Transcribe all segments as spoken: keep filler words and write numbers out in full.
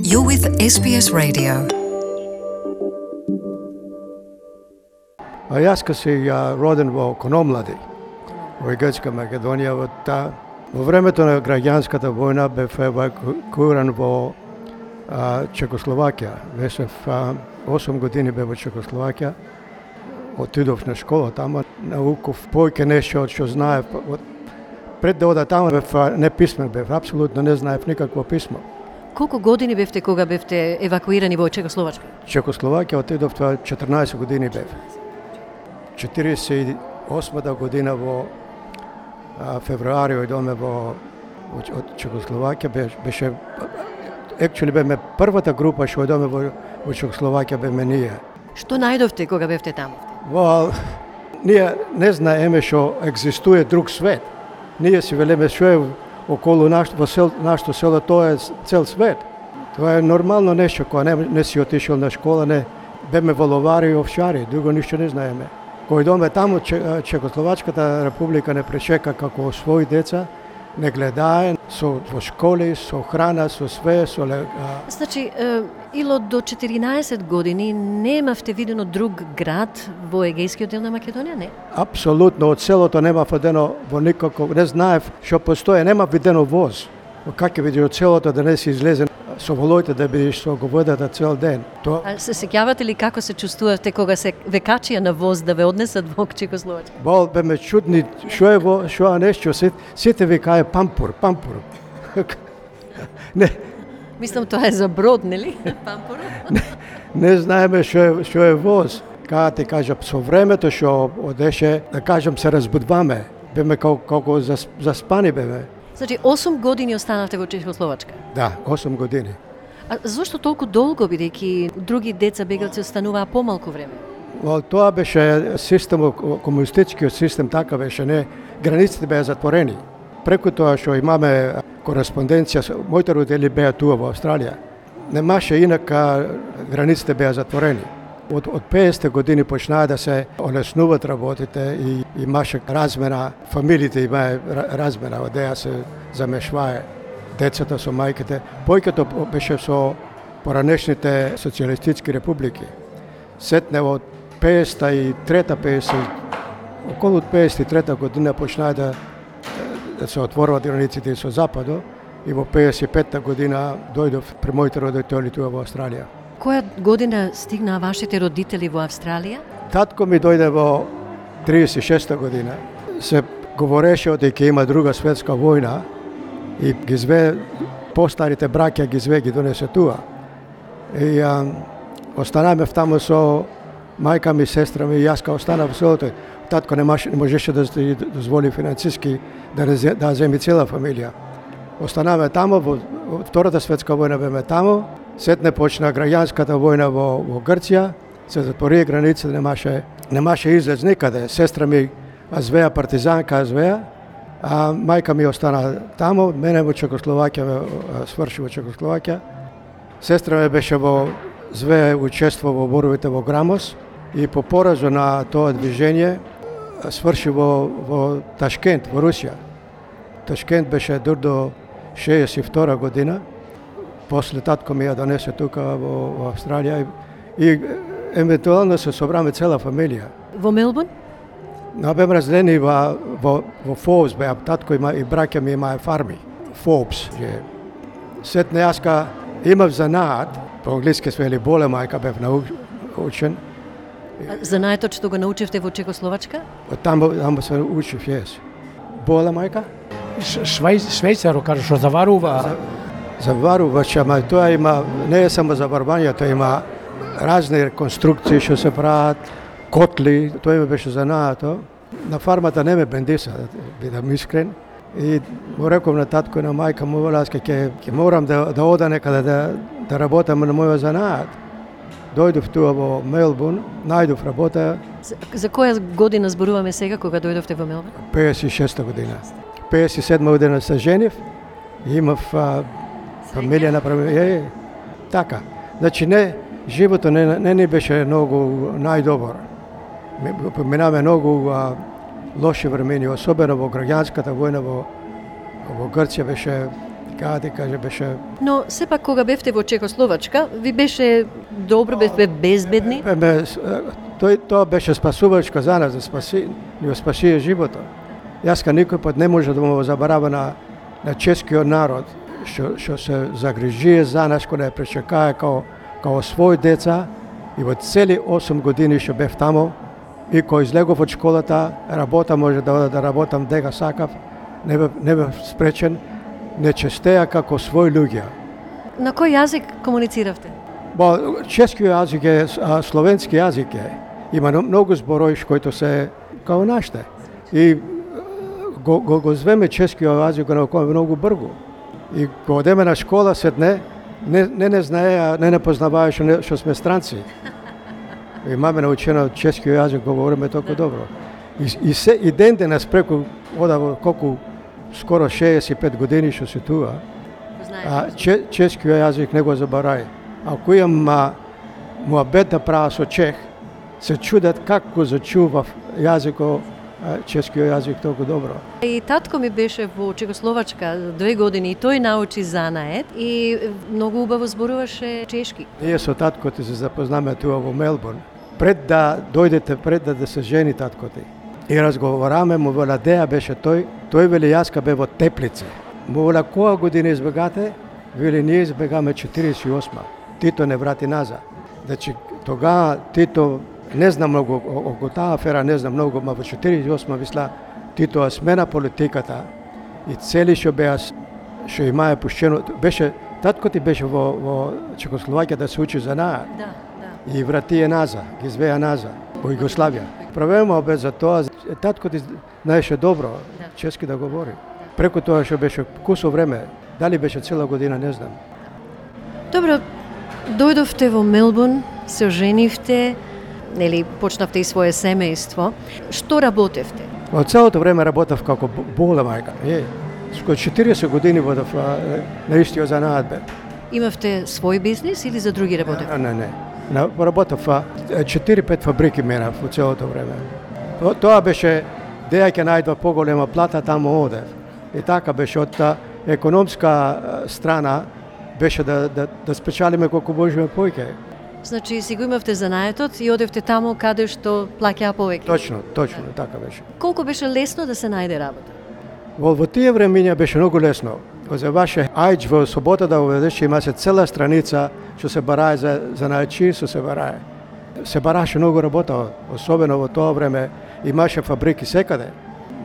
You're with S B S Radio. А јас ка си ја роден во Кономлади, во Грчка Македонија. Во, та, во времето на граѓанската војна бев евакуиран во а, Чекословакија. Бев осум години бев во Чекословакија. Отидов на школа тама, науков појќе нешто што знаев. Пред да ода тама бев неписмен, бев апсолутно не знаев никакво писмо. Колку години бевте кога бевте евакуирани во Чекословачка? Чекословакија отидов тоа четрнаесет години бев. четиридесет и осма година во а, февруари одоме во од Чекословакија, беше, беше actually беме првата група што одоме во, во Чекословакија беме ние. Што најдовте кога бевте таму? Во ние не знаеме што екзистуе друг свет. Ние си велеме што е околу нашто во сел, нашто село, тоа е цел свет. Тоа е нормално нешто кога не, не си отишол на школа, не беме воловари и овчари, друго ништо не знаеме. Кој доме таму, Чекословачката република не пречека како своји деца, не гледае со во школи, со храна, со све, со а... Значи, е, ило до четиринаесет години немавте видено друг град во егејскиот дел на Македонија, не? Апсолутно, од селото нема видено во никако, не знаев што постои, нема видено воз. Как ќе видиш од селото да не си излезен со волоите да бидеш со говедата цел ден. То... А се сеќавате ли како се чувствувавте кога се ве качија на воз да ве однесат во Чекословачка? Бол беме чудни, што е во, што е нешто, сите викае пампур, пампур. Не. Мислам тоа е за брод, нели? Пампур. Не, не знаеме што е, што е воз. Кога ти кажам, со времето што одеше, да кажам, се разбудваме. Беме колку, колку заспани беме. Значи, осум години останавте во Чекословачка? Да, осум години. А зошто толку долго, бидејќи други деца бегалци остануваа помалку време? Well, тоа беше систем, комунистичкиот систем, така беше, не, границите беа затворени. Преку тоа што имаме кореспонденција, моите родители беа туа во Австралија. Немаше инака, границите беа затворени. Од, од петдесетте години почнаа да се олеснуваат работите и имаше размена, фамилиите имаа размена, одеја се замешвае децата со мајките. Појкето беше со поранешните социјалистички републики. Сетне од петдесет и трета петдесет, околу петдесет и трета година почнаа да, да се отворуваат границите со западо и во петдесет и петта година дојдов при моите родители туа во Австралија. Која година стигнаа вашите родители во Австралија? Татко ми дојде во триесет и шеста година. Се говореше дека има друга светска војна и ги зве постарите браќа ги зве ги донесе туа. И а, останавме таму со мајка ми, сестра ми и јас као останав во селото. Татко не, маш, не можеше да дозволи финансиски да да земи цела фамилија. Останавме таму, во, во втората светска војна беме таму. Сетне почна граѓанската војна во, во Грција, се затвори граница, немаше, немаше излез никаде. Сестра ми звеа партизанка, звеа, а мајка ми остана таму, мене во Чекословакија, сврши во Чекословакија. Сестра ми беше во зве учество во боровите во Грамос и по поразу на тоа движење сврши во, во Ташкент, во Русија. Ташкент беше дур до шеесет и втора година. После татко ми ја донесе тука во, во Австралија и, и евентуално се собраме цела фамилија. Во Мелбурн? Но беме разделени во, во, во Фобс, беа татко има и браќа ми имаа фарми. Фобс. Сетне јас ка имав занаат, по англиски се вели боле мајка, бев научен. Занаетот што го научивте во Чекословачка? Таму, таму се учив, јес. Боле мајка? Швејцаро, кажа, што заварува... За... Заварувача, ама тоа има, не е само заварување, тоа има разни реконструкции што се прават, котли, тоа ме беше занаато. На фармата не ме бендиса, да бидам искрен. И му реков на татко и на мајка му, аз ке, ке морам да, да ода некаде да, да работам на мојот занаат. Дојдов туа во Мелбурн, најдов работа. За, за која година зборуваме сега, кога дојдовте во Мелбурн? петдесет и шеста година. петдесет и седма година се женив и имав а, фамилија направи, е, така. Значи не, животот не, не ни беше многу најдобар. Поминаме многу а, лоши времени, особено во граѓанската војна во, во Грција беше Кај ти каже беше Но сепак кога бевте во Чехословачка, ви беше добро, бевте безбедни? Бе, бе, тој тоа беше спасувачка за нас, да спаси, ни го спаси животот. Јас ка никој пат не може да му забарава на на чешкиот народ што што се загрижие за нас, кога не пречекае као као свој деца и во цели осум години што бев тамо и кој излегов од школата, работа може да ода да работам дега сакав, не бев, не бев спречен, не честеа како свој луѓе. На кој јазик комунициравте? Бо, чешкиот јазик е, а, словенски јазик е. Има многу зборови кои се као нашите. И го, го, го звеме чешкиот јазик на кој многу бргу. И кога одеме на школа седне, не не не знае, не не познавае што, што сме странци. И маме научена чешкиот јазик, говориме толку добро. И, и, се, и ден денес преку одава колку скоро шеесет и пет години што се туа, а, че, чешкиот јазик не го забарај. Ако имам муабет да права со чех, се чудат како зачував јазикот, чешкиот јазик толку добро. И татко ми беше во Чехословачка две години и тој научи занает и многу убаво зборуваше чешки. Ние со татко ти се запознаме туа во Мелбурн. Пред да дојдете, пред да, да се жени татко ти. И разговараме, му владеа беше тој, тој вели јаска бе во Теплице. Му вела која година избегате? Вели ние избегаме четириесет и осма. Тито не врати назад. Значи тога Тито не знам многу околу таа афера, не знам многу, ма во четириесет и осма мисла Тито смена политиката и цели што беа што имае пуштено, беше татко ти беше во во Чехословакија да се учи за најат. Да, да. И врати е назад, ги звеа назад во Југославија. Правема обед за тоа, татко ти знаеше добро Да. чешки да говори. Преку тоа што беше кусо време, дали беше цела година, не знам. Добро, дојдовте во Мелбурн, се оженивте, нели почнавте и свое семејство. Што работевте? Во целото време работев како бола мајка. Е, скоро четириесет години водев на истиот занаат бе. Имавте свој бизнис или за други работевте? Не, не, не. На, работев четири-пет фабрики менав во целото време. То, тоа беше деја ќе најдва поголема плата, тамо одев. И така беше од та економска страна беше да, да, да спечалиме колку можеме повеќе. Значи си го имавте занаетот и одевте таму каде што плаќаа повеќе. Точно, точно, така беше. Колку беше лесно да се најде работа? Во, во тие времиња беше многу лесно. За ваше ајдж во собота да уведеш, имаше цела страница што се барае за, за најчи, што се барае. Се бараше многу работа, особено во тоа време имаше фабрики секаде.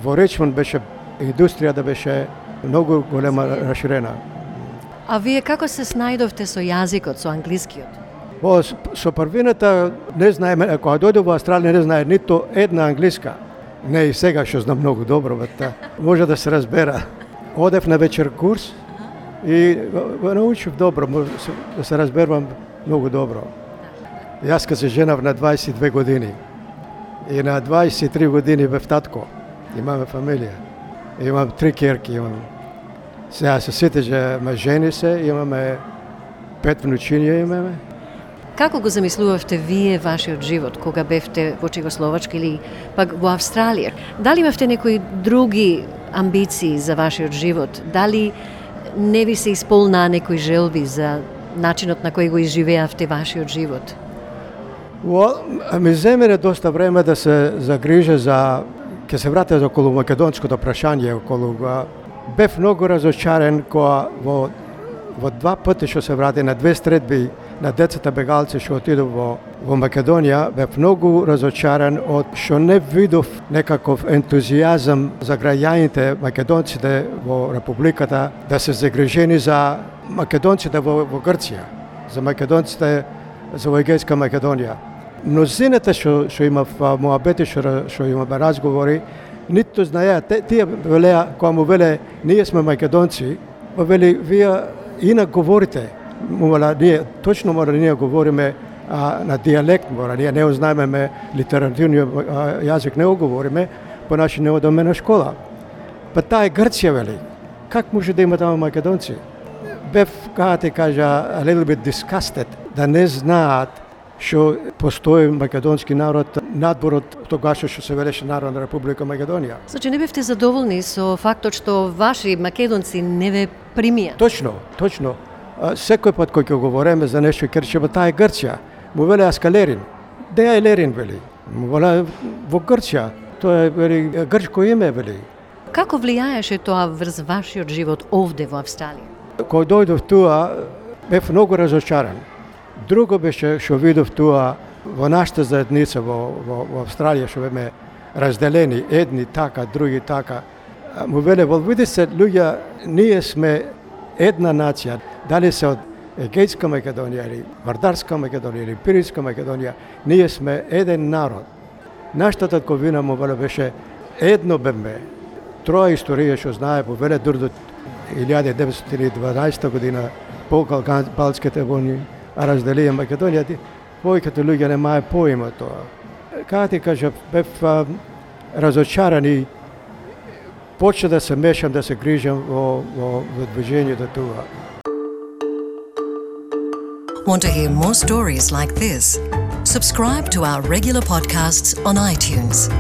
Во Ричмонд беше индустрија да беше многу голема расширена. А вие како се снајдовте со јазикот, со англискиот? Во со првината не знаеме, кога дојде во Австралија не знае ниту една англиска. Не и сега што знам многу добро, бата. Може да се разбера. Одев на вечер курс и го научив добро, може да се разберувам многу добро. Јас ка се женав на дваесет и две години и на дваесет и три години бев татко. Имаме фамилија. Имам три керки, имам. Сега се сетеше, ме жени се, имаме пет внучиња имаме. Како го замислувавте вие вашиот живот кога бевте во Чехословачка или пак во Австралија? Дали имавте некои други амбиции за вашиот живот? Дали не ви се исполнаа некои желби за начинот на кој го изживеавте вашиот живот? Во, ми земене доста време да се загрижа за, ќе се вратам околу македонското прашање, околу бев многу разочарен кога во во два пати што се врати на две стредби на децата бегалци што отидов во во Македонија, бев многу разочаран од што не видов некаков ентузијазам за граѓаните македонците во републиката да се загрижени за македонците во, во Грција, за македонците за во Егејска Македонија. Мнозината што што имав муабети, што што имаме разговори, ниту знаеа, тие велеа кога му веле ние сме македонци, па вели вие инак говорите. Мора ние точно мора ние говориме а, на дијалект, мора ние не знаеме литературниот јазик, не го говориме, понаши не одиме на школа. Па таа е Грција вели. Как може да има таму македонци? Бев, како ти кажа, a little bit disgusted, да не знаат што постои македонски народ надбор од тогаш што се велеше Народна република Македонија. Значи не бевте задоволни со фактот што ваши македонци не ве примија? Точно, точно. А, секој пат кој ќе говориме за нешто и кажеме таа е Грција, му веле Аскалерин. Де е Лерин вели? Му веле во Грција. Тоа е вели грчко име вели. Како влијаеше тоа врз вашиот живот овде во Австралија? Кога дојдов туа, бев многу разочаран. Друго беше што видов туа во нашата заедница во, во, во Австралија, што беме разделени, едни така, други така. Му веле, вол види се, луѓе, ние сме една нација, дали се од Егејска Македонија или Вардарска Македонија или Пиринска Македонија, ние сме еден народ. Нашата татковина му веле беше едно беме. Троја историја што знае, му веле дур до илјада деветстотини и дванаесета година по Балските војни, а разделија Македонија, повеќето луѓе немаја поима тоа. Како ти кажа, бев а, разочаран и почна да се мешам, да се грижам во, во, во движењето тоа. Want to hear more stories like this? Subscribe to our regular podcasts on iTunes.